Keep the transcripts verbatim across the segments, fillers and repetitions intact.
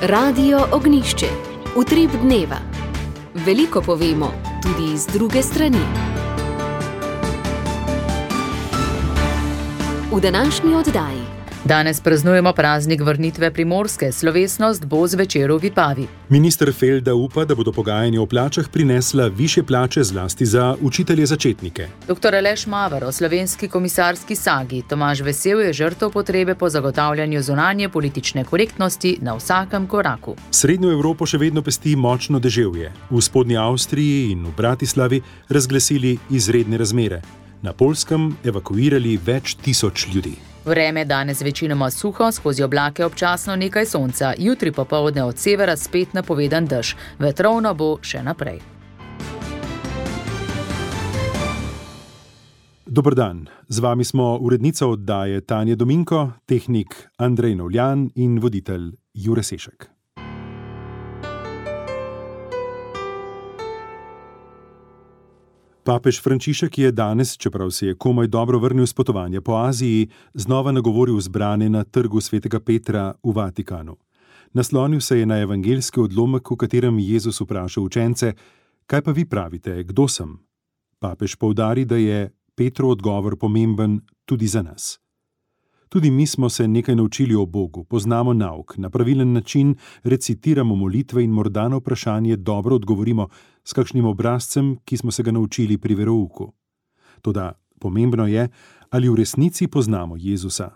Radio Ognjišče. Utrip dneva. Veliko povemo, tudi iz druge strani. V današnji oddaji. Danes praznujemo praznik vrnitve Primorske, slovesnost bo zvečer v Vipavi. Minister Felda upa, da bodo pogajanja o plačah prinesla višje plače zlasti za učitelje začetnike. Doktor Aleš Mavar o slovenski komisarski sagi. Tomaž Vesel je žrtev potrebe po zagotavljanju zunanje politične korektnosti na vsakem koraku. Srednjo Evropo še vedno pesti močno deževje. V spodnji Avstriji in v Bratislavi razglasili izredne razmere. Na Poljskem evakuirali več tisoč ljudi. Vreme danes večinoma suho, skozi oblake občasno nekaj sonca, jutri popoldne od severa spet napovedan dež. Vetrovno bo še naprej. Dober dan, z vami smo urednica oddaje Tanja Dominko, tehnik Andrej Novljan in voditelj Jure Sešek. Papež Frančišek je danes, čeprav se je komaj dobro vrnil s potovanja po Aziji, znova nagovoril zbrane na trgu svetega Petra v Vatikanu. Naslonil se je na evangeljski odlomek, v katerem Jezus vpraša učence: kaj pa vi pravite, kdo sem? Papež poudari, da je Petrov odgovor pomemben tudi za nas. Tudi mi smo se nekaj naučili o Bogu, poznamo nauk, na pravilen način recitiramo molitve in morda na vprašanje dobro odgovorimo s kakšnim obrazcem, ki smo se ga naučili pri verouku. Toda pomembno je, ali v resnici poznamo Jezusa.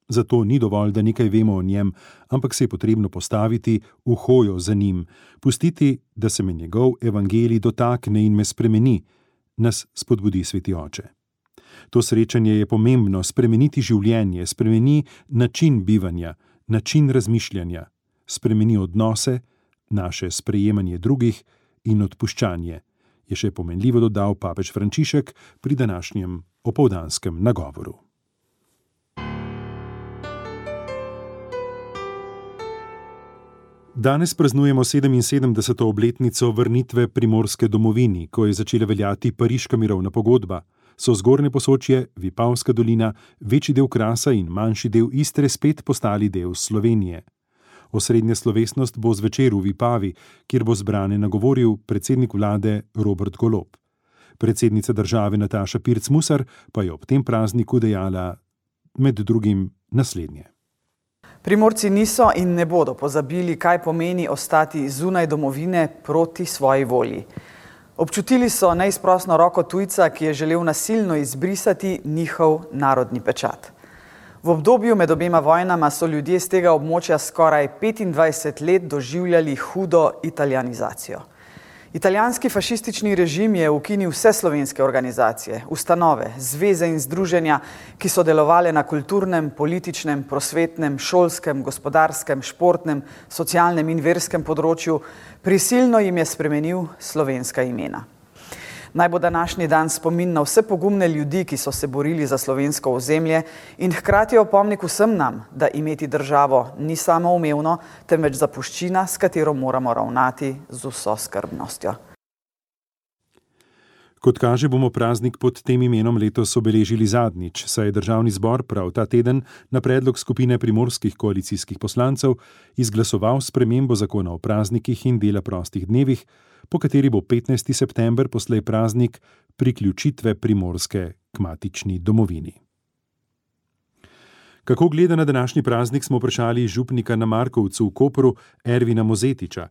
Zato ni dovolj, da nekaj vemo o njem, ampak se je potrebno postaviti v hojo za njim, pustiti, da se me njegov evangelij dotakne in me spremeni, nas spodbudi Sveti Oče. To srečanje je pomembno, spremeniti življenje, spremeni način bivanja, način razmišljanja, spremeni odnose, naše sprejemanje drugih in odpuščanje, je še pomenljivo dodal papež Frančišek pri današnjem opoldanskem nagovoru. Danes praznujemo sedeminsedemdeseto obletnico vrnitve Primorske domovini, ko je začela veljati Pariška mirovna pogodba. So Zgornje Posočje, Vipavska dolina, večji del Krasa in manjši del Istre spet postali del Slovenije. Osrednja slovesnost bo zvečer v Vipavi, kjer bo zbrane nagovoril predsednik vlade Robert Golob. Predsednica države Nataša Pirc Musar pa je ob tem prazniku dejala med drugim naslednje. Primorci niso in ne bodo pozabili, kaj pomeni ostati zunaj domovine proti svoji volji. Občutili so neizprosno roko tujca, ki je želel nasilno izbrisati njihov narodni pečat. V obdobju med obema vojnama so ljudje z tega območja skoraj petindvajset let doživljali hudo italijanizacijo. Italijanski fašistični režim je ukinil vse slovenske organizacije, ustanove, zveze in združenja, ki so delovale na kulturnem, političnem, prosvetnem, šolskem, gospodarskem, športnem, socialnem in verskem področju, prisilno jim je spremenil slovenska imena. Naj bo današnji dan spomin na vse pogumne ljudi, ki so se borili za slovensko ozemlje in hkrati opomnik vsem nam, da imeti državo ni samoumevno, temveč zapuščina, s katero moramo ravnati z vso skrbnostjo. Kot kaže, bomo praznik pod tem imenom letos obeležili zadnjič, saj je državni zbor prav ta teden na predlog skupine primorskih koalicijskih poslancev izglasoval spremembo zakona o praznikih in dela prostih dnevih, po kateri bo petnajsti september poslej praznik priključitve Primorske k matični domovini. Kako gleda na današnji praznik, smo vprašali župnika na Markovcu v Kopru Ervina Mozetiča.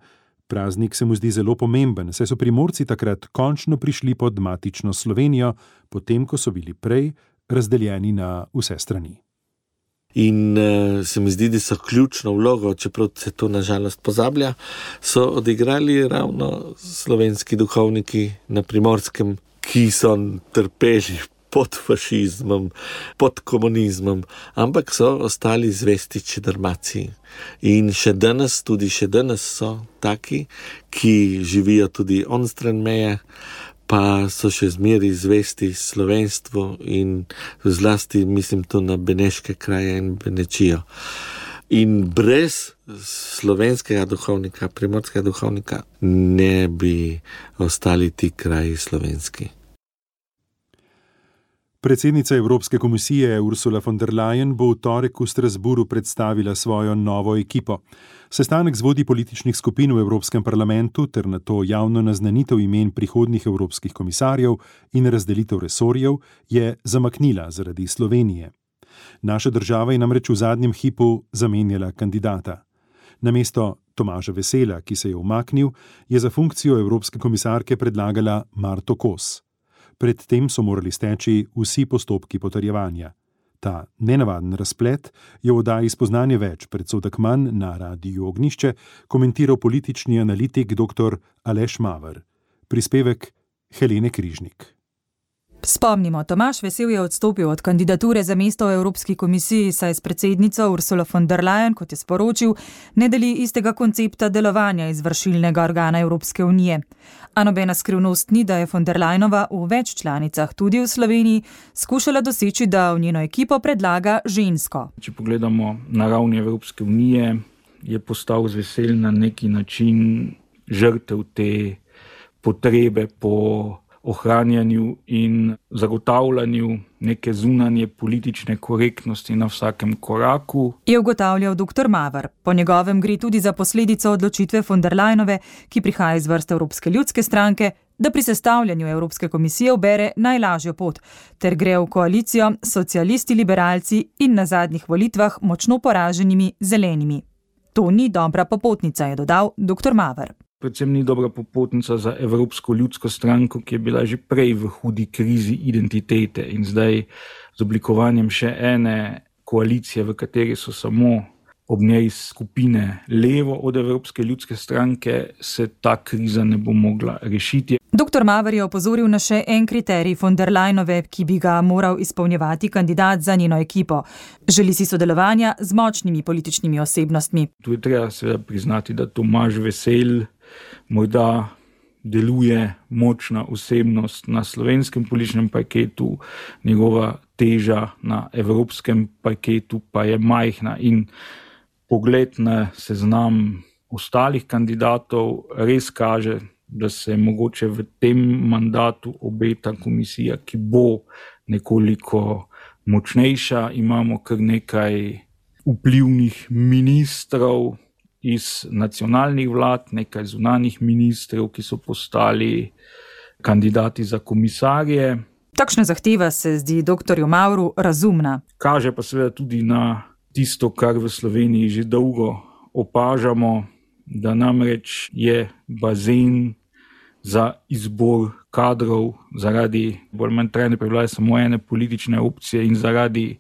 Praznik se mu zdi zelo pomemben, saj so Primorci takrat končno prišli pod matično Slovenijo, potem ko so bili prej razdeljeni na vse strani. In uh, se mi zdi, da so ključno vlogo, čeprav se to nažalost pozablja, so odigrali ravno slovenski duhovniki na Primorskem, ki so trpeli pod fašizmom, pod komunizmom, ampak so ostali zvesti čedermaciji. In še danes, tudi še danes so taki, ki živijo tudi onstran meje, pa so še zmeri zvesti slovenstvu in zlasti mislim to na Beneške kraje in Benečijo. In brez slovenskega duhovnika, primorskega duhovnika, ne bi ostali ti kraji slovenski. Predsednica Evropske komisije Ursula von der Leyen bo v torek v Strasbourgu predstavila svojo novo ekipo. Sestanek z vodji političnih skupin v Evropskem parlamentu ter nato javno naznanitev imen prihodnjih evropskih komisarjev in razdelitev resorjev je zamaknila zaradi Slovenije. Naša država je namreč v zadnjem hipu zamenjala kandidata. Namesto Tomaža Vesela, ki se je umaknil, je za funkcijo evropske komisarke predlagala Marto Kos. Predtem so morali steči vsi postopki potrjevanja. Ta nenavaden razplet je v oddaji Spoznanje več predsodek manj na Radiu Ognjišče komentiral politični analitik dr. Aleš Maver. Prispevek Helene Križnik. Spomnimo, Tomaž Vesel je odstopil od kandidature za mesto v Evropski komisiji, saj s predsednico Ursulo von der Leyen, kot je sporočil, ne deli istega koncepta delovanja izvršilnega organa Evropske unije. A nobena skrivnost ni, da je von der Leyenova v več članicah, tudi v Sloveniji, skušala doseči, da v njeno ekipo predlaga žensko. Če pogledamo na ravni Evropske unije, je postal Vesel na neki način žrtev te potrebe po ohranjanju in zagotavljanju neke zunanje politične korektnosti na vsakem koraku. Je ugotavljal dr. Maver. Po njegovem gre tudi za posledico odločitve von der Leyenove, ki prihaja iz vrst Evropske ljudske stranke, da pri sestavljanju Evropske komisije ubere najlažjo pot, ter gre v koalicijo socialisti, liberalci in na zadnjih volitvah močno poraženimi zelenimi. To ni dobra popotnica, je dodal dr. Maver. Predvsem ni dobra popotnica za Evropsko ljudsko stranko, ki je bila že prej v hudi krizi identitete in zdaj z oblikovanjem še ene koalicije, v kateri so samo ob njej skupine levo od Evropske ljudske stranke, se ta kriza ne bo mogla rešiti. dr. Maver je opozoril na še en kriterij von der Leyenove, ki bi ga moral izpolnjevati kandidat za njeno ekipo. Želi si sodelovanja z močnimi političnimi osebnostmi. Tu je treba seveda priznati, da Tomaž Vesel morda deluje močna osebnost na slovenskem političnem parketu, njegova teža na evropskem parketu pa je majhna in pogled na seznam ostalih kandidatov res kaže, da se mogoče v tem mandatu obeta komisija, ki bo nekoliko močnejša. Imamo kar nekaj vplivnih ministrov iz nacionalnih vlad, nekaj zunanjih ministrov, ki so postali kandidati za komisarje. Takšna zahteva se zdi doktorju Mavru razumna. Kaže pa seveda tudi na tisto, kar v Sloveniji že dolgo opažamo, da namreč je bazen za izbor kadrov zaradi bolj manj trajne prevlade samo ene politične opcije in zaradi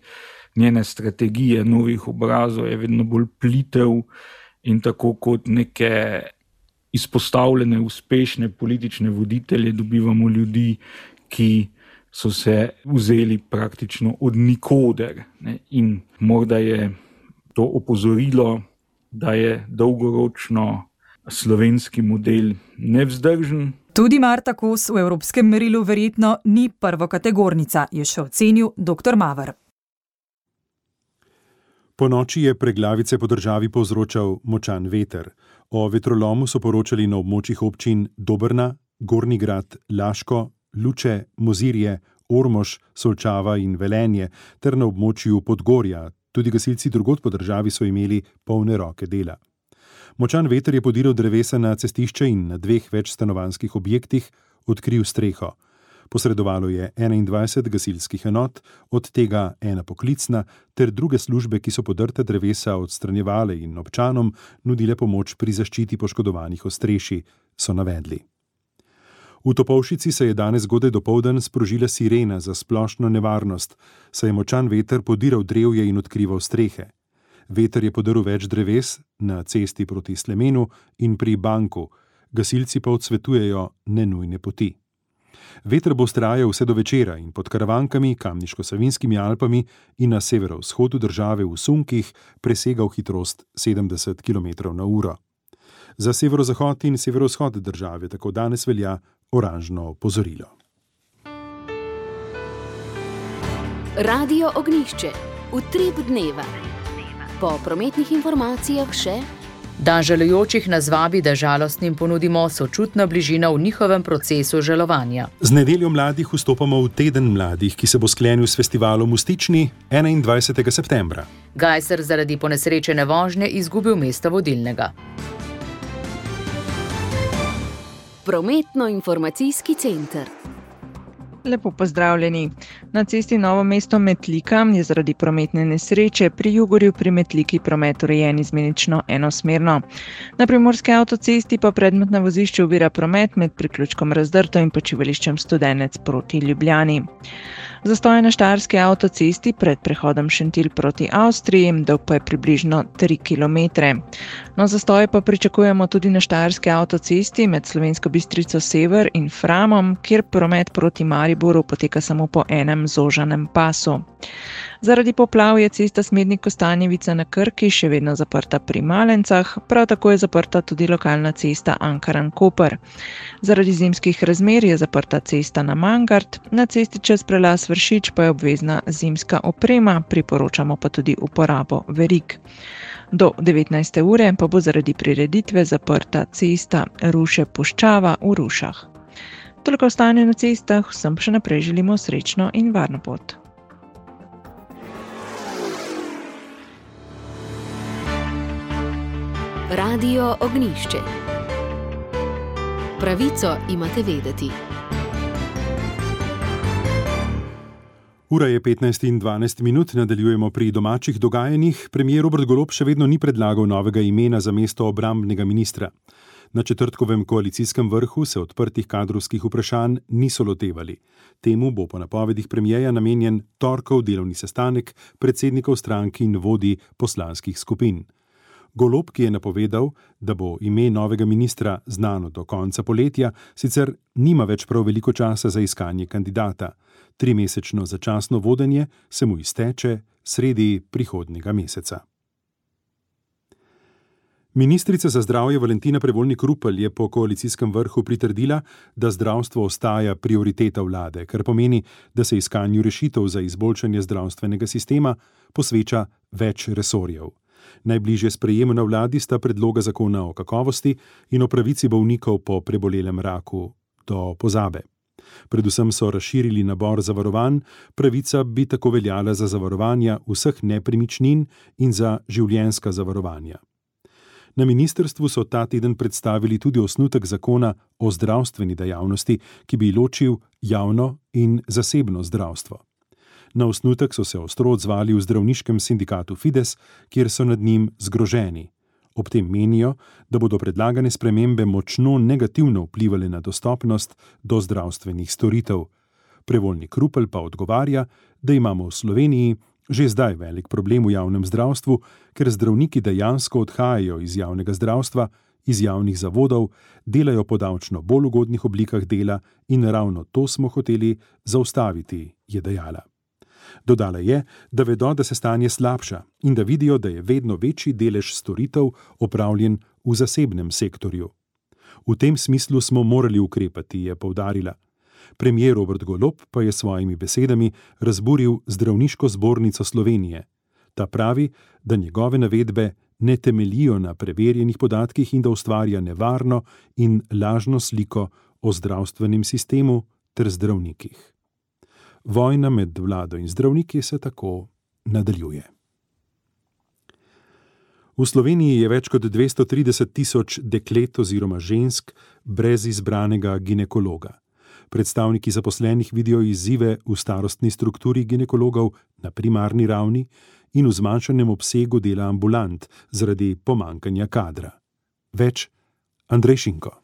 njene strategije novih obrazov je vedno bolj plitev. In tako kot neke izpostavljene, uspešne politične voditelje dobivamo ljudi, ki so se vzeli praktično od nikoder. Ne? In morda je to opozorilo, da je dolgoročno slovenski model nevzdržen. Tudi Marta Kos v evropskem merilu verjetno ni prvokategornica, je še ocenil dr. Maver. Po noči je preglavice po državi povzročal močan veter. O vetrolomu so poročali na območjih občin Dobrna, Gornji Grad, Laško, Luče, Mozirje, Ormož, Solčava in Velenje ter na območju Podgorja. Tudi gasilci drugod po državi so imeli polne roke dela. Močan veter je podiral drevesa na cestišče in na dveh večstanovanjskih objektih odkril streho. Posredovalo je enaindvajset gasilskih enot, od tega ena poklicna, ter druge službe, ki so podrta drevesa odstranjevale in občanom nudile pomoč pri zaščiti poškodovanih ostrešij, so navedli. V Topolšici se je danes zgodaj dopoldan sprožila sirena za splošno nevarnost, saj je močan veter podiral drevje in odkrival strehe. Veter je podrl več dreves na cesti proti Slemenu in pri Banku, gasilci pa odsvetujejo nenujne poti. Veter bo vztrajal vse do večera in pod Karavankami, Kamniško-Savinjskimi Alpami in na severovzhodu države v sunkih presegal hitrost sedemdeset kilometrov na uro. Za severozahod in severovzhod države tako danes velja oranžno opozorilo. Radio Ognjišče, utrip dneva. Po prometnih informacijah še Dan žalujočih nas vabi, da žalostnim ponudimo sočutno bližino v njihovem procesu žalovanja. Z nedeljo mladih vstopamo v teden mladih, ki se bo sklenil s festivalom v Stični enaindvajsetega septembra. Gajser zaradi ponesrečene vožnje izgubil mesto vodilnega. Prometno-informacijski center. Lepo pozdravljeni. Na cesti Novo mesto Metlika je zaradi prometne nesreče pri Jugorju pri Metliki promet urejen izmenično enosmerno. Na primorski avtocesti pa predmet na vozišču ovira promet med priključkom Razdrto in počivališčem Studenec proti Ljubljani. Zastoj na štajerski avtocesti pred prehodom Šentilj proti Avstriji, dolg pa je približno tri kilometre. No, zastoj pa pričakujemo tudi na štajerski avtocesti med Slovensko Bistrico Sever in Framom, kjer promet proti Mariboru poteka samo po enem zožanem pasu. Zaradi poplav je cesta Smednik-Kostanjevica na Krki še vedno zaprta pri Malencah, prav tako je zaprta tudi lokalna cesta Ankaran-Koper. Zaradi zimskih razmer je zaprta cesta na Mangart, na cesti čez prelaz Vršič pa je obvezna zimska oprema, priporočamo pa tudi uporabo verig. Do devetnajste ure pa bo zaradi prireditve zaprta cesta Ruše-Puščava v Rušah. Toliko o stanju na cestah, vsem še naprej želimo srečno in varno pot. Radio Ognjišče. Pravico imate vedeti. Ura je petnajst in dvanajst minut, nadaljujemo pri domačih dogajanjih. Premier Robert Golob še vedno ni predlagal novega imena za mesto obrambnega ministra. Na četrtkovem koalicijskem vrhu se odprtih kadrovskih vprašanj niso lotevali. Temu bo po napovedih premierja namenjen torkov delovni sestanek predsednikov strank in vodij poslanskih skupin. Golob, ki je napovedal, da bo ime novega ministra znano do konca poletja, sicer nima več prav veliko časa za iskanje kandidata. Trimesečno začasno vodenje se mu izteče sredi prihodnjega meseca. Ministrica za zdravje Valentina Prevolnik Rupel je po koalicijskem vrhu pritrdila, da zdravstvo ostaja prioriteta vlade, kar pomeni, da se iskanju rešitev za izboljšanje zdravstvenega sistema posveča več resorjev. Najbližje sprejemu na vladi sta predloga zakona o kakovosti in o pravici bolnikov po prebolelem raku do pozabe. Predvsem so razširili nabor zavarovanj, pravica bi tako veljala za zavarovanja vseh nepremičnin in za življenjska zavarovanja. Na ministrstvu so ta teden predstavili tudi osnutek zakona o zdravstveni dejavnosti, ki bi ločil javno in zasebno zdravstvo. Na osnutek so se ostro odzvali v zdravniškem sindikatu Fides, kjer so nad njim zgroženi. Ob tem menijo, da bodo predlagane spremembe močno negativno vplivali na dostopnost do zdravstvenih storitev. Prevolnik Rupel pa odgovarja, da imamo v Sloveniji že zdaj velik problem v javnem zdravstvu, ker zdravniki dejansko odhajajo iz javnega zdravstva, iz javnih zavodov, delajo po davčno bolj ugodnih oblikah dela in ravno to smo hoteli zaustaviti, je dejala. Dodala je, da vedo, da se stanje slabša in da vidijo, da je vedno večji delež storitev opravljen v zasebnem sektorju. V tem smislu smo morali ukrepati, je poudarila. Premier Robert Golob pa je svojimi besedami razburil Zdravniško zbornico Slovenije. Ta pravi, da njegove navedbe ne temeljijo na preverjenih podatkih in da ustvarja nevarno in lažno sliko o zdravstvenem sistemu ter zdravnikih. Vojna med vlado in zdravniki se tako nadaljuje. V Sloveniji je več kot dvesto trideset tisoč deklet oziroma žensk brez izbranega ginekologa. Predstavniki zaposlenih vidijo izzive v starostni strukturi ginekologov na primarni ravni in v zmanjšanem obsegu dela ambulant zaradi pomanjkanja kadra. Več Andrej Šinko.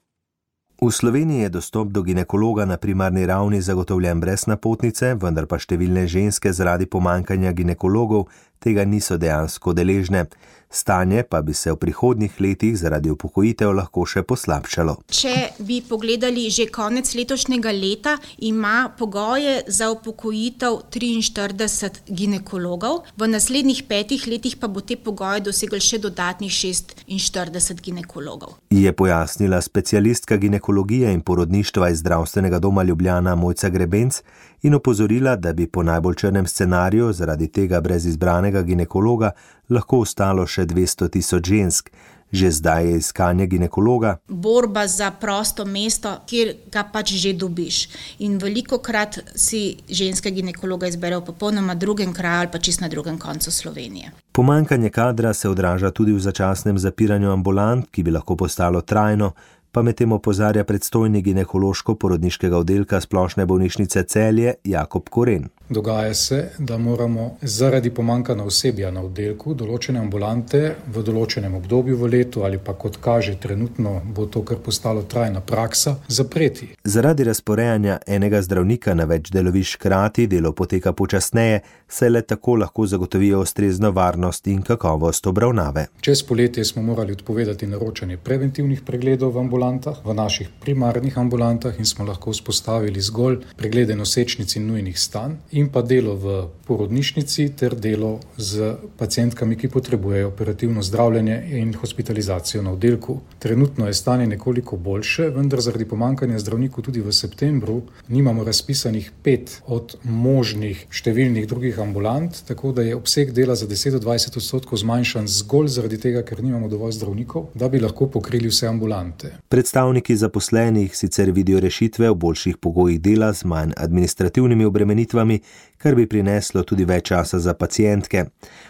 V Sloveniji je dostop do ginekologa na primarni ravni zagotovljen brez napotnice, vendar pa številne ženske zaradi pomanjkanja ginekologov tega niso dejansko deležne. Stanje pa bi se v prihodnjih letih zaradi upokojitev lahko še poslabšalo. Če bi pogledali že konec letošnjega leta, ima pogoje za upokojitev triinštirideset ginekologov, v naslednjih petih letih pa bo te pogoje dosegel še dodatnih šestinštirideset ginekologov. Je pojasnila specialistka ginekologije in porodništva iz Zdravstvenega doma Ljubljana Mojca Grebenc in opozorila, da bi po najbolj črnem scenariju zaradi tega brez izbranega ginekologa lahko ostalo še dvesto tisoč žensk. Že zdaj je iskanje ginekologa borba za prosto mesto, kjer ga pač že dobiš. In velikokrat si ženske ginekologa izberejo v popolnoma drugem kraju ali pa čist na drugem koncu Slovenije. Pomanjkanje kadra se odraža tudi v začasnem zapiranju ambulant, ki bi lahko postalo trajno, pa medtem opozarja predstojnik ginekološko-porodniškega oddelka Splošne bolnišnice Celje Jakob Koren. Dogaja se, da moramo zaradi pomanjkanja osebja na oddelku določene ambulante v določenem obdobju v letu ali pa kot kaže trenutno bo to kar postalo trajna praksa, zapreti. Zaradi razporejanja enega zdravnika na več delovišč hkrati delo poteka počasneje, saj le tako lahko zagotovijo ustrezno varnost in kakovost obravnave. Čez poletje smo morali odpovedati naročanje preventivnih pregledov v ambulantah, v naših primarnih ambulantah in smo lahko vzpostavili zgolj preglede nosečnic in nujnih stanj in pa delo v porodnišnici ter delo z pacientkami, ki potrebujejo operativno zdravljenje in hospitalizacijo na oddelku. Trenutno je stanje nekoliko boljše, vendar zaradi pomanjkanja zdravnikov tudi v septembru nimamo razpisanih pet od možnih številnih drugih ambulant, tako da je obseg dela za deset do dvajset odstotkov zmanjšan zgolj zaradi tega, ker nimamo dovolj zdravnikov, da bi lahko pokrili vse ambulante. Predstavniki zaposlenih sicer vidijo rešitve v boljših pogojih dela z manj administrativnimi obremenitvami, kar bi prineslo tudi več časa za pacientke.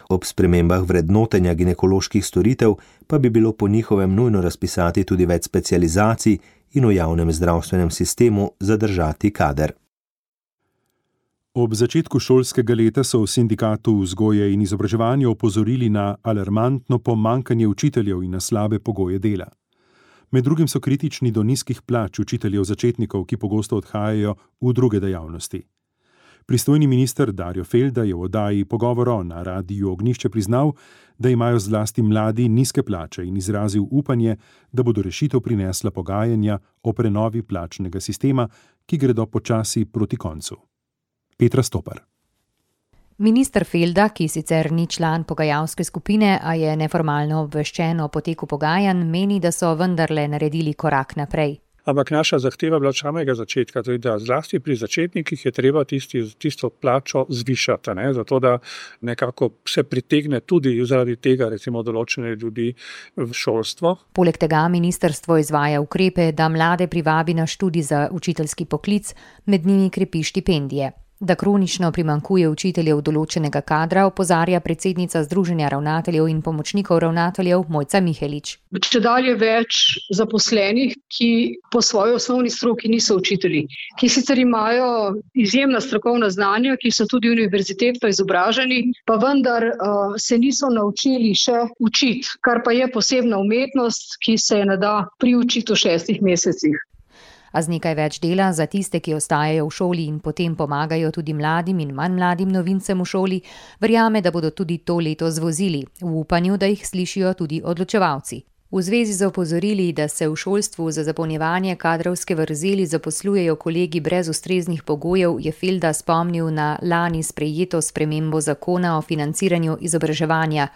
Ob spremembah vrednotenja ginekoloških storitev pa bi bilo po njihovem nujno razpisati tudi več specializacij in v javnem zdravstvenem sistemu zadržati kader. Ob začetku šolskega leta so v Sindikatu vzgoje in izobraževanja opozorili na alarmantno pomanjkanje učiteljev in na slabe pogoje dela. Med drugim so kritični do nizkih plač učiteljev začetnikov, ki pogosto odhajajo v druge dejavnosti. Pristojni minister Darjo Felda je v oddaji Pogovoro na Radiu Ognjišče priznal, da imajo zlasti mladi nizke plače in izrazil upanje, da bodo rešitev prinesla pogajanja o prenovi plačnega sistema, ki gredo počasi proti koncu. Petra Stopar. Minister Felda, ki sicer ni član pogajalske skupine, a je neformalno obveščen o poteku pogajanj, meni, da so vendarle naredili korak naprej. Ampak naša zahteva bila od samega začetka, tudi da zlasti pri začetnikih je treba tisti, tisto plačo zvišati, ne? Zato da nekako se pritegne tudi zaradi tega recimo določene ljudi v šolstvo. Poleg tega ministrstvo izvaja ukrepe, da mlade privabi na študij za učiteljski poklic, med njimi krepi štipendije. Da kronično primanjkuje učiteljev določenega kadra, opozarja predsednica Združenja ravnateljev in pomočnikov ravnateljev Mojca Mihelič. Čedalje več zaposlenih, ki po svoji osnovni stroki niso učitelji, ki sicer imajo izjemna strokovna znanja, ki so tudi univerzitetno izobraženi, pa vendar uh, se niso naučili še učiti, kar pa je posebna umetnost, ki se je ne da priučiti v šestih mesecih. A z nekaj več dela za tiste, ki ostajajo v šoli in potem pomagajo tudi mladim in manj mladim novincem v šoli, verjame, da bodo tudi to leto zvozili, v upanju, da jih slišijo tudi odločevalci. V zvezi z opozorili, da se v šolstvu za zapolnjevanje kadrovske vrzeli zaposlujejo kolegi brez ustreznih pogojev, je Felda spomnil na lani sprejeto spremembo zakona o financiranju izobraževanja.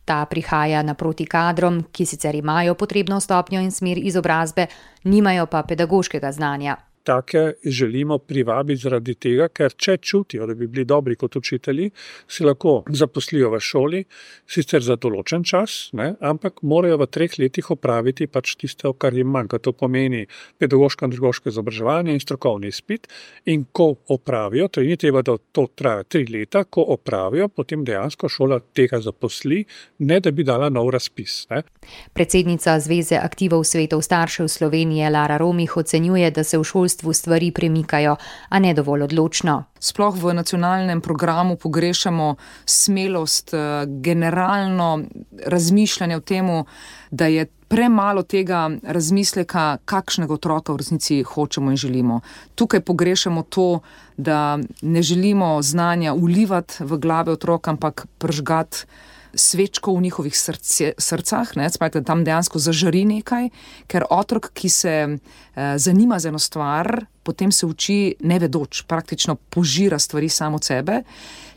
Ta prihaja naproti kadrom, ki sicer imajo potrebno stopnjo in smer izobrazbe, nimajo pa pedagoškega znanja. Take želimo privabiti zaradi tega, ker če čutijo, da bi bili dobri kot učitelji, se lahko zaposlijo v šoli, sicer za določen čas, ne, ampak morajo v treh letih opraviti pač tisto, kar jim manjka. To pomeni pedagoško in andragoško izobraževanje in strokovni izpit. In ko opravijo, to ni treba, da to traja tri leta, ko opravijo, potem dejansko šola tega zaposli, ne da bi dala nov razpis. Ne. Predsednica Zveze aktivov svetov staršev Slovenije Lara Romih ocenjuje, da se v šolstvu stvari premikajo, a ne dovolj odločno. Sploh v nacionalnem programu pogrešamo smelost, generalno razmišljanje o temu, da je premalo tega razmisleka, kakšnega otroka v resnici hočemo in želimo. Tukaj pogrešamo to, da ne želimo znanja ulivati v glave otrok, ampak pržgati svečko v njihovih srce, srcah, ne, spajte, da tam dejansko zažari nekaj, ker otrok, ki se eh, zanima za eno stvar, potem se uči nevedoč, praktično požira stvari samo od sebe.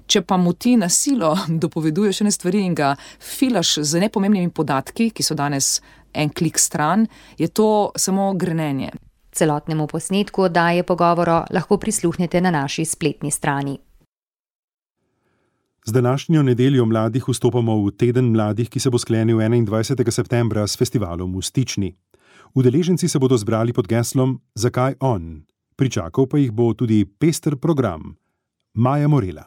Če pa mu ti na silo dopoveduješ ene stvari in ga filaš z nepomembnimi podatki, ki so danes en klik stran, je to samo grenenje. Celotnemu posnetku oddaje Pogovoro lahko prisluhnete na naši spletni strani. Z današnjo nedeljo mladih vstopamo v teden mladih, ki se bo sklenil enaindvajsetega septembra s festivalom v Stični. Udeleženci se bodo zbrali pod geslom Zakaj on? Pričakal pa jih bo tudi pester program. Maja Morela.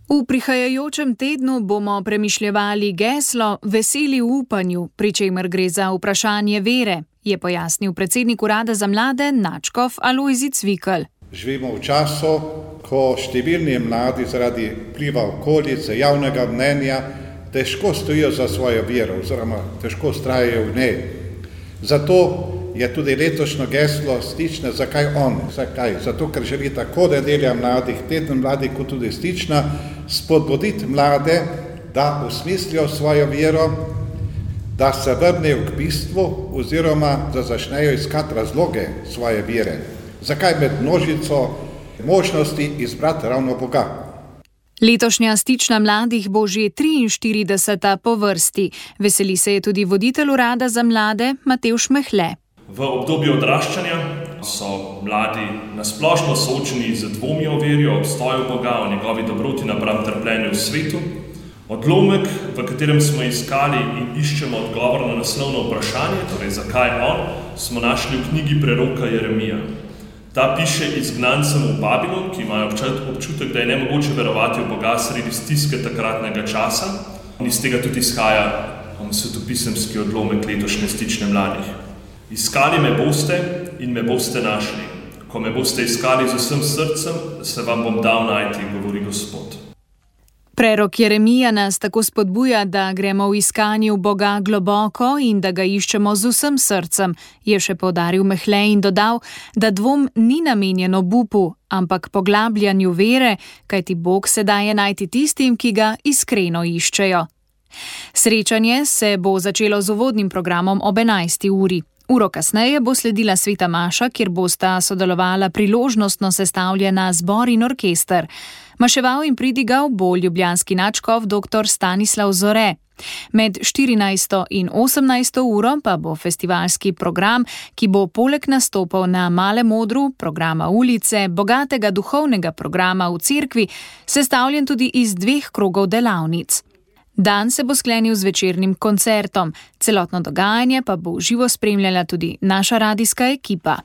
V prihajajočem tednu bomo premišljevali geslo Veseli v upanju, pri čemer gre za vprašanje vere, je pojasnil predsednik Urada za mlade Načkov Alojzij Cvikl. Živimo v času, ko številni mladi zaradi vpliva okolice, javnega mnenja težko stojijo za svojo vero oziroma težko vztrajajo v njej. Zato je tudi letošnjo geslo Stična Zakaj on? Zakaj? Zato, ker želi tako nedelja mladih, teden mladih kot tudi Stična spodbuditi mlade, da osmislijo svojo vero, da se vrnejo k bistvu oziroma da začnejo iskati razloge svoje vere. Zakaj med množico možnosti izbrati ravno Boga? Letošnja Stična mladih bo že triinštirideseta po vrsti. Veseli se je tudi voditelj Urada za mlade Matevž Mehle. V obdobju odraščanja so mladi nasplošno soočeni z dvomi o veri, o obstoju Boga, o njegovi dobroti napram trpljenju v svetu. Odlomek, v katerem smo iskali in iščemo odgovor na naslovno vprašanje, torej zakaj on, smo našli v knjigi preroka Jeremija. Ta piše izgnancem v Babilon, ki imajo občutek, da je nemogoče verovati v Boga sredi stiske takratnega časa. In iz tega tudi izhaja svetopisemski odlomek letošnje Stične mladih. Iskali me boste in me boste našli. Ko me boste iskali z vsem srcem, se vam bom dal najti, govori Gospod. Prerok Jeremija nas tako spodbuja, da gremo v iskanju Boga globoko in da ga iščemo z vsem srcem, je še poudaril Mehle in dodal, da dvom ni namenjen obupu, ampak poglabljanju vere, kajti Bog se daje najti tistim, ki ga iskreno iščejo. Srečanje se bo začelo z uvodnim programom ob enajsti uri. Uro kasneje bo sledila sveta maša, kjer bosta sodelovala priložnostno sestavljena zbor in orkester. Maševal in pridigal bo ljubljanski nadškof dr. Stanislav Zore. Med štirinajsto in osemnajsto uro pa bo festivalski program, ki bo poleg nastopov na Malem odru, programa ulice, bogatega duhovnega programa v cerkvi, sestavljen tudi iz dveh krogov delavnic. Dan se bo sklenil z večernim koncertom, celotno dogajanje pa bo v živo spremljala tudi naša radijska ekipa.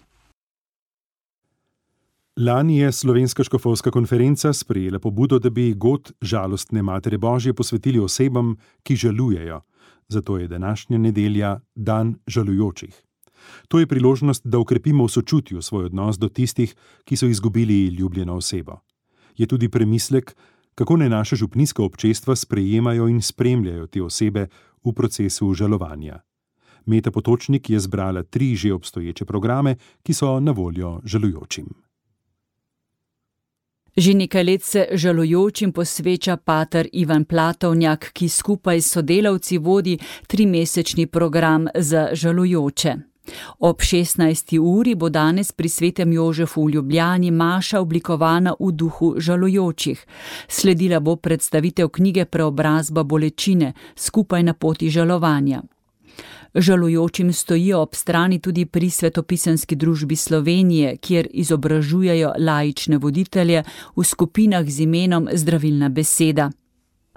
Lani je Slovenska škofovska konferenca sprejela pobudo, da bi god žalostne Matere Božje posvetili osebam, ki žalujejo. Zato je današnja nedelja dan žalujočih. To je priložnost, da okrepimo v sočutju svoj odnos do tistih, ki so izgubili ljubljeno osebo. Je tudi premislek, kako naj naše župnijska občestva sprejemajo in spremljajo te osebe v procesu žalovanja. Meta Potočnik je zbrala tri že obstoječe programe, ki so na voljo žalujočim. Že nekaj let se žalujočim posveča pater Ivan Platovnjak, ki skupaj s sodelavci vodi trimesečni program za žalujoče. Ob šestnajsti uri bo danes pri Svetem Jožefu v Ljubljani maša oblikovana v duhu žalujočih. Sledila bo predstavitev knjige Preobrazba bolečine, skupaj na poti žalovanja. Žalujočim stojijo ob strani tudi pri Svetopisemski družbi Slovenije, kjer izobražujejo laične voditelje v skupinah z imenom Zdravilna beseda.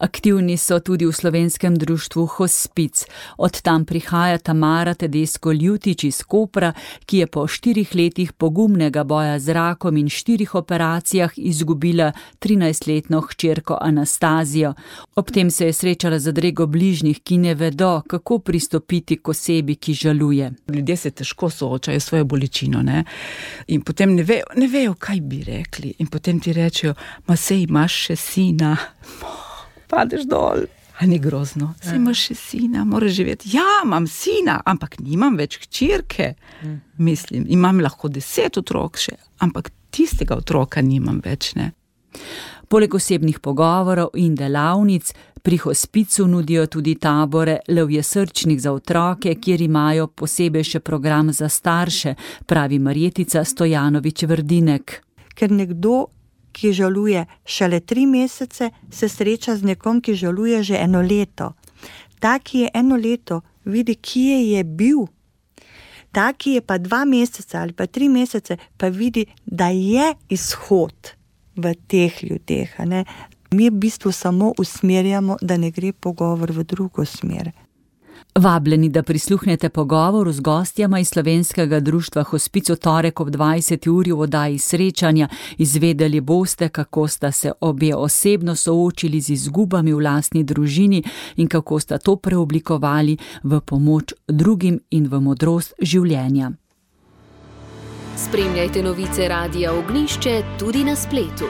Aktivni so tudi v slovenskem društvu Hospic. Od tam prihaja Tamara Tedesco-Ljutič iz Kopra, ki je po štirih letih pogumnega boja z rakom in štirih operacijah izgubila trinajstletno hčerko Anastazijo. Ob tem se je srečala z zadrego bližnjih, ki ne vedo, kako pristopiti k osebi, ki žaluje. Ljudje se težko soočajo s svojo bolečino, ne? In potem ne vejo, ne vejo, kaj bi rekli. In potem ti rečejo, ma sej imaš še sina. Padeš dol. A ni grozno? Saj imaš še sina, moraš živeti. Ja, imam sina, ampak nimam več hčerke. Mm. Mislim, imam lahko deset otrok še, ampak tistega otroka nimam več, ne. Poleg osebnih pogovorov in delavnic pri Hospicu nudijo tudi tabore levjesrčnih za otroke, kjer imajo posebej še program za starše, pravi Marjetica Stojanović-Vrdinek. Ker nekdo, ki žaluje šele tri mesece, se sreča z nekom, ki žaluje že eno leto. Ta, ki je eno leto, vidi, kje je bil. Ta, ki je pa dva meseca ali pa tri mesece, pa vidi, da je izhod v teh ljudeh. Ne? Mi v bistvu samo usmerjamo, da ne gre pogovor v drugo smer. Vabljeni, da prisluhnete pogovoru z gostjama iz Slovenskega društva Hospic v torek ob dvajseti uri v oddaji Srečanja. Izvedeli boste, kako sta se obe osebno soočili z izgubami v lastni družini in kako sta to preoblikovali v pomoč drugim in v modrost življenja. Spremljajte novice Radia Ognjišče tudi na spletu.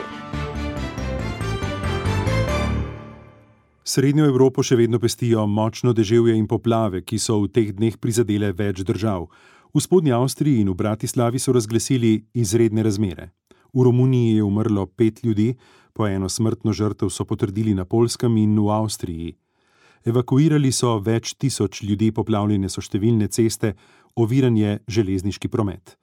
Srednjo Evropo še vedno pestijo močno deževje in poplave, ki so v teh dneh prizadele več držav. V Spodnji Avstriji in v Bratislavi so razglasili izredne razmere. V Romuniji je umrlo pet ljudi, po eno smrtno žrtev so potrdili na Poljskem in v Avstriji. Evakuirali so več tisoč ljudi, poplavljene so številne ceste, oviran je železniški promet.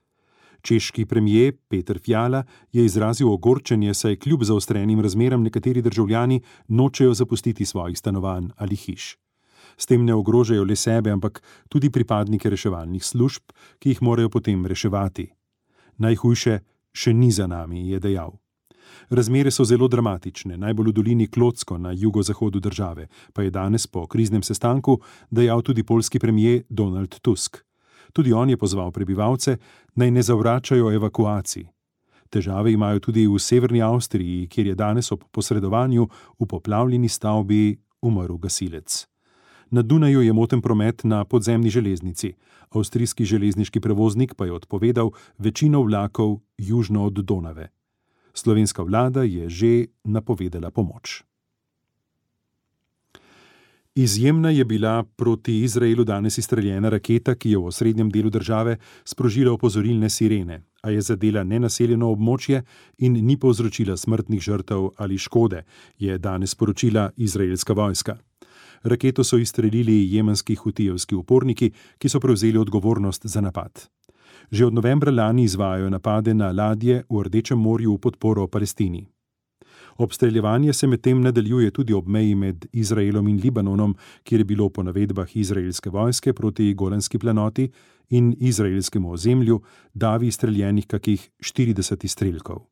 Češki premijer Peter Fiala je izrazil ogorčenje, saj kljub zaostrenim razmeram nekateri državljani nočejo zapustiti svojih stanovanj ali hiš. S tem ne ogrožajo le sebe, ampak tudi pripadnike reševalnih služb, ki jih morajo potem reševati. Najhujše še ni za nami, je dejal. Razmere so zelo dramatične, najbolj v dolini Klocko na jugozahodu države, pa je danes po kriznem sestanku dejal tudi poljski premijer Donald Tusk. Tudi on je pozval prebivalce, naj ne zavračajo evakuacij. Težave imajo tudi v severni Avstriji, kjer je danes ob posredovanju v poplavljeni stavbi umrl gasilec. Na Dunaju je moten promet na podzemni železnici. Avstrijski železniški prevoznik pa je odpovedal večino vlakov južno od Donave. Slovenska vlada je že napovedala pomoč. Izjemna je bila proti Izraelu danes izstreljena raketa, ki je v osrednjem delu države sprožila opozorilne sirene, a je zadela nenaseljeno območje in ni povzročila smrtnih žrtev ali škode, je danes sporočila izraelska vojska. Raketo so izstrelili jemenski hutijevski uporniki, ki so prevzeli odgovornost za napad. Že od novembra lani izvajajo napade na ladje v Rdečem morju v podporo Palestini. Obstreljevanje se medtem nadaljuje tudi ob meji med Izraelom in Libanonom, kjer je bilo po navedbah izraelske vojske proti Golanski planoti in izraelskemu ozemlju davi streljenih kakih štirideset izstrelkov.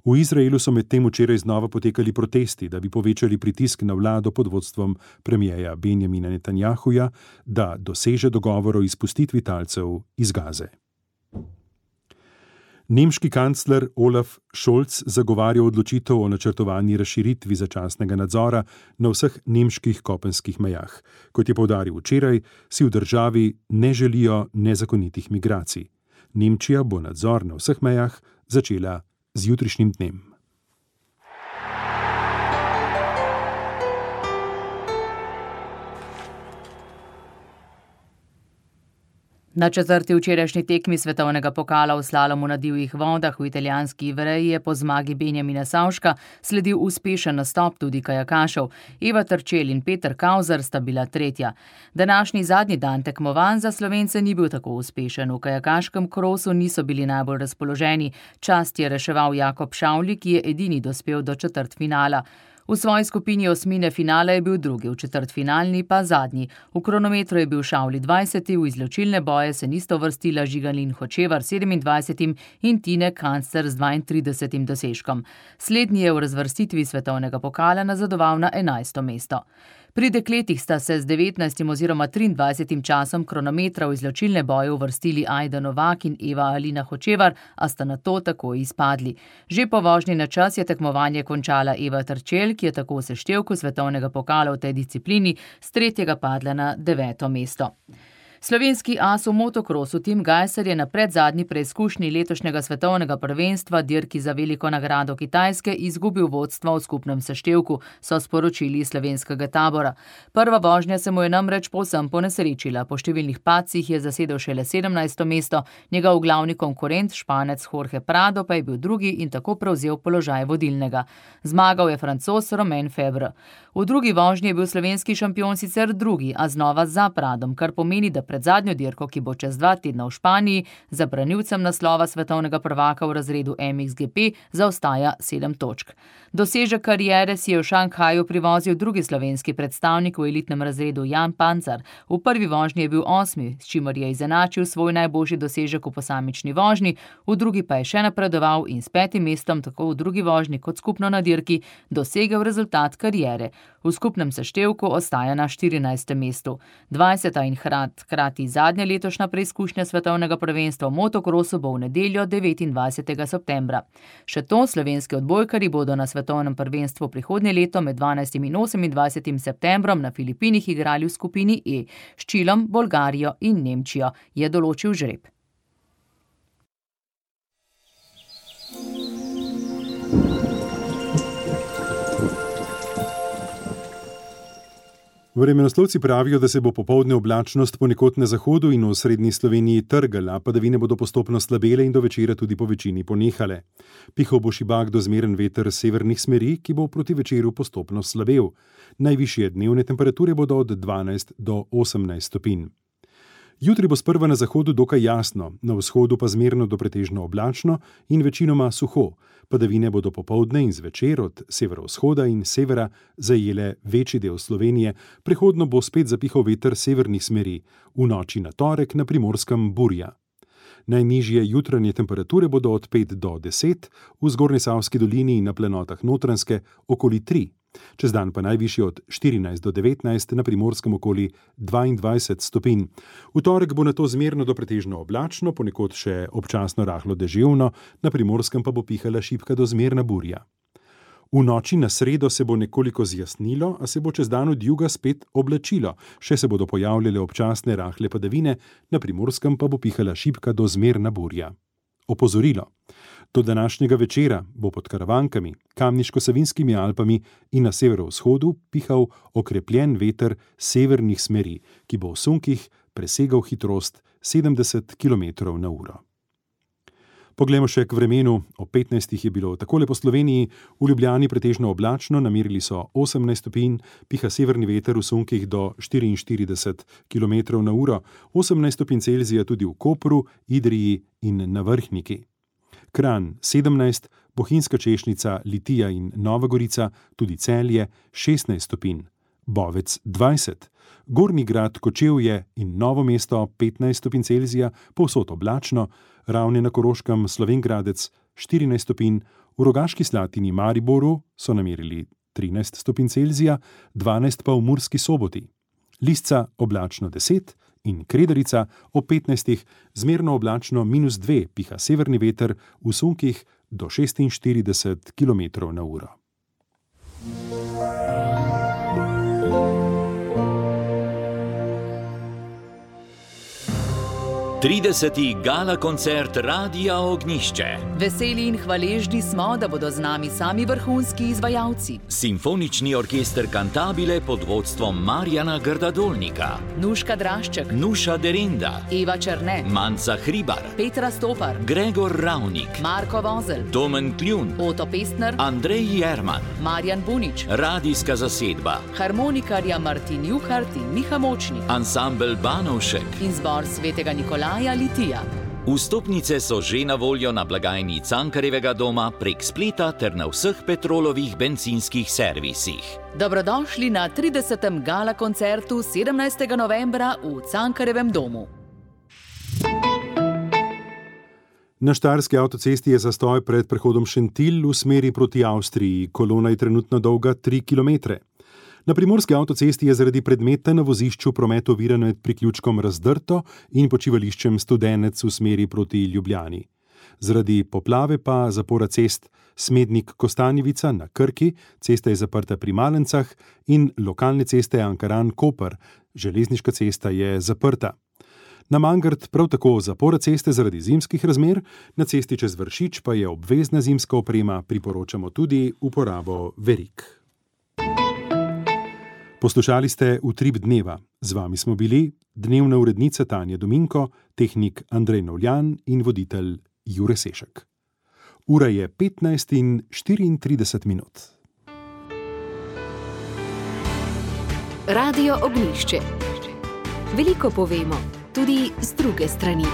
V Izraelu so medtem včeraj znova potekali protesti, da bi povečali pritisk na vlado pod vodstvom premierja Benjamina Netanjahuja, da doseže dogovor o izpustitvi talcev iz Gaze. Nemški kancler Olaf Scholz zagovarja odločitev o načrtovani razširitvi začasnega nadzora na vseh nemških kopenskih mejah. Kot je poudaril včeraj, si v državi ne želijo nezakonitih migracij. Nemčija bo nadzor na vseh mejah začela z jutrišnjim dnem. Na četrti včerajšnji tekmi svetovnega pokala v slalomu na divjih vodah v italijanski Ivreji je po zmagi Benjamina Savška sledil uspešen nastop tudi kajakašev. Eva Terčelj in Peter Kauzer sta bila tretja. Današnji zadnji dan tekmovanj za Slovence ni bil tako uspešen. V kajakaškem krosu niso bili najbolj razpoloženi. Čast je reševal Jakob Šavli, ki je edini dospel do četrtfinala. V svoji skupini osmine finala je bil drugi, v četrtfinalni pa zadnji. V kronometru je bil Šavli dvajseti, v izločilne boje se nista uvrstila Žigalin Hočevar sedemindvajsetim in Tine Kancer z dvaintridesetim dosežkom. Slednji je v razvrstitvi svetovnega pokala nazadoval na enajsto mesto. Pri dekletih sta se z devetnajstim oziroma triindvajsetim časom kronometra v izločilne boje uvrstili Ajda Novak in Eva Alina Hočevar, a sta nato tako izpadli. Že po vožnji na čas je tekmovanje končala Eva Terčelj, ki je tako v seštevku svetovnega pokala v tej disciplini s tretjega padla na deveto mesto. Slovenski as v motokrosu Tim Gajser je na predzadnji preizkušnji letošnjega svetovnega prvenstva dirki za veliko nagrado Kitajske izgubil vodstvo v skupnem seštevku, so sporočili iz slovenskega tabora. Prva vožnja se mu je namreč povsem ponesrečila. Po številnih padcih je zasedel šele sedemnajsto mesto, njegov glavni konkurent, Španec Jorge Prado, pa je bil drugi in tako prevzel položaj vodilnega. Zmagal je Francoz Romain Febvre. V drugi vožnji je bil slovenski šampion sicer drugi, a znova za Pradom, kar pomeni, da pred zadnjo dirko, ki bo čez dva tedna v Španiji, za branilcem naslova svetovnega prvaka v razredu M X G P zaostaja sedem točk. Dosežek kariere si je v Šanghaju privozil drugi slovenski predstavnik v elitnem razredu Jan Pancar. V prvi vožnji je bil osmi, s čimer je izenačil svoj najboljši dosežek v posamični vožnji, v drugi pa je še napredoval in s petim mestom tako v drugi vožnji kot skupno na dirki dosegel rezultat kariere. V skupnem seštevku ostaja na štirinajstem mestu. dvajseta in hkrati zadnja letošnja preizkušnja svetovnega prvenstva v motokrosu bo v nedeljo devetindvajsetega septembra. Še to, slovenski odbojkarji bodo na svetovnem prvenstvu prihodnje leto med dvanajstim in osemindvajsetim septembrom na Filipinih igrali v skupini E s Čilom, Bolgarijo in Nemčijo, je določil žreb. Vremenoslovci pravijo, da se bo popoldne oblačnost ponekod na zahodu in v srednji Sloveniji trgala, padavine bodo postopno slabele in do večera tudi po večini ponehale. Pihal bo šibak do zmeren veter severnih smeri, ki bo proti večeru postopno slabel. Najvišje dnevne temperature bodo od dvanajst do osemnajst stopinj. Jutri bo sprva na zahodu dokaj jasno, na vzhodu pa zmerno do pretežno oblačno in večinoma suho. Padavine bodo popoldne in zvečer od severovzhoda in severa zajele večji del Slovenije, prehodno bo spet zapihal veter severnih smeri, v noči na torek na Primorskem burja. Najnižje jutranje temperature bodo od pet do deset, v Zgornjesavski dolini in na planotah Notranjske okoli tri. Čez dan pa najvišje od štirinajst do devetnajst, na Primorskem okoli dvaindvajset stopinj. V torek bo nato zmerno do pretežno oblačno, ponekod še občasno rahlo deževno, na Primorskem pa bo pihala šibka do zmerna burja. V noči na sredo se bo nekoliko zjasnilo, a se bo čez dan od juga spet oblačilo, še se bodo pojavljale občasne rahle padavine, na Primorskem pa bo pihala šibka do zmerna burja. Opozorilo. Do današnjega večera bo pod Karavankami, Kamniško-Savinskimi Alpami in na severovzhodu pihal okrepljen veter severnih smeri, ki bo v sunkih presegal hitrost sedemdeset kilometrov na uro. Poglejmo še k vremenu. Ob petnajstih je bilo takole po Sloveniji, v Ljubljani pretežno oblačno, namerili so osemnajst stopinj, piha severni veter v sunkih do štiriinštirideset kilometrov na uro, osemnajst stopinj Celzija tudi v Kopru, Idriji in na Vrhniki. Kranj sedemnajst, Bohinjska Češnica, Litija in Nova Gorica, tudi Celje šestnajst stopinj, Bovec dvajset, Gornji Grad, Kočevje in Novo mesto petnajst stopinj Celzija, povsod oblačno, Ravne na Koroškem, Slovenj Gradec štirinajst stopinj, v Rogaški Slatini Mariboru so namerili trinajst stopinj Celzija, dvanajst pa v Murski Soboti. Lisca oblačno deset in Kredarica ob petnajstih zmerno oblačno minus dve, piha severni veter v sunkih do šestinštirideset kilometrov na uro. trideseti gala koncert Radia Ognjišče. Veseli in hvaležni smo, da bodo z nami sami vrhunski izvajalci. Simfonični orkester Cantabile pod vodstvom Marjana Grdadolnika, Nuška Drašček, Nuša Derinda, Eva Černe, Manca Hribar, Petra Stopar, Gregor Ravnik, Marko Vozel, Domen Kljun, Oto Pestner, Andrej Jerman, Marjan Bunič, radijska zasedba, harmonikarja Martin Juhart in Miha Močnik, ansambel Banovšek in zbor Svetega Nikolaja Litija. Vstopnice so že na voljo na blagajni Cankarjevega doma prek spleta ter na vseh Petrolovih bencinskih servisih. Dobrodošli na tridesetem gala koncertu sedemnajstega novembra v Cankarjevem domu. Na štajerski avtocesti je zastoj pred prehodom Šentilj v smeri proti Avstriji. Kolona je trenutno dolga tri kilometre. Na primorski avtocesti je zaradi predmeta na vozišču promet oviran med priključkom Razdrto in počivališčem Studenec v smeri proti Ljubljani. Zaradi poplave pa zapora cest Smednik-Kostanjevica na Krki, cesta je zaprta pri Malencah in lokalne ceste Ankaran-Koper, železniška cesta je zaprta. Na Mangart prav tako zapora ceste zaradi zimskih razmer, na cesti čez Vršič pa je obvezna zimska oprema, priporočamo tudi uporabo verig. Poslušali ste Utrip dneva. Z vami smo bili dnevna urednica Tanja Dominko, tehnik Andrej Novljan in voditelj Jure Sešek. Ura je petnajst in štiriintrideset minut. Radio Ognjišče. Veliko povemo. tudi z druge strani.